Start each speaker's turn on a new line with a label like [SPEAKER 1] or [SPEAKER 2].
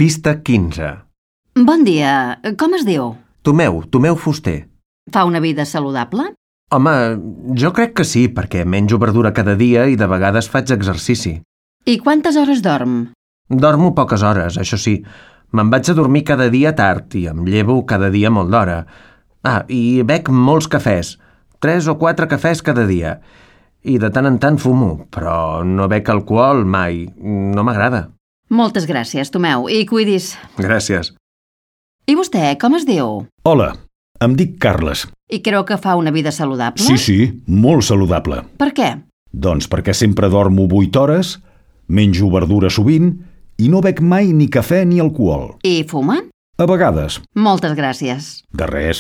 [SPEAKER 1] Pista 15.
[SPEAKER 2] Bon dia, com es diu?
[SPEAKER 1] Tomeu Fuster.
[SPEAKER 2] Fa una vida saludable?
[SPEAKER 1] Home, jo crec que sí, perquè menjo verdura cada dia i de vegades faig exercici.
[SPEAKER 2] I quantes hores dorm?
[SPEAKER 1] Dormo poques hores, això sí. Me'n vaig a dormir cada dia tard i em llevo cada dia molt d'hora. I bec molts cafès. 3 o 4 cafès cada dia. I de tant en tant fumo, però no bec alcohol mai. No m'agrada.
[SPEAKER 2] Moltes gràcies, Tomeu, i cuidis.
[SPEAKER 1] Gràcies.
[SPEAKER 2] I vostè, com es diu?
[SPEAKER 3] Hola, em dic Carles.
[SPEAKER 2] I creu que fa una vida saludable?
[SPEAKER 3] Sí, molt saludable.
[SPEAKER 2] Per què?
[SPEAKER 3] Doncs perquè sempre dormo 8 hores, menjo verdura sovint i no bec mai ni cafè ni alcohol.
[SPEAKER 2] I fuma?
[SPEAKER 3] A vegades.
[SPEAKER 2] Moltes gràcies.
[SPEAKER 3] De res.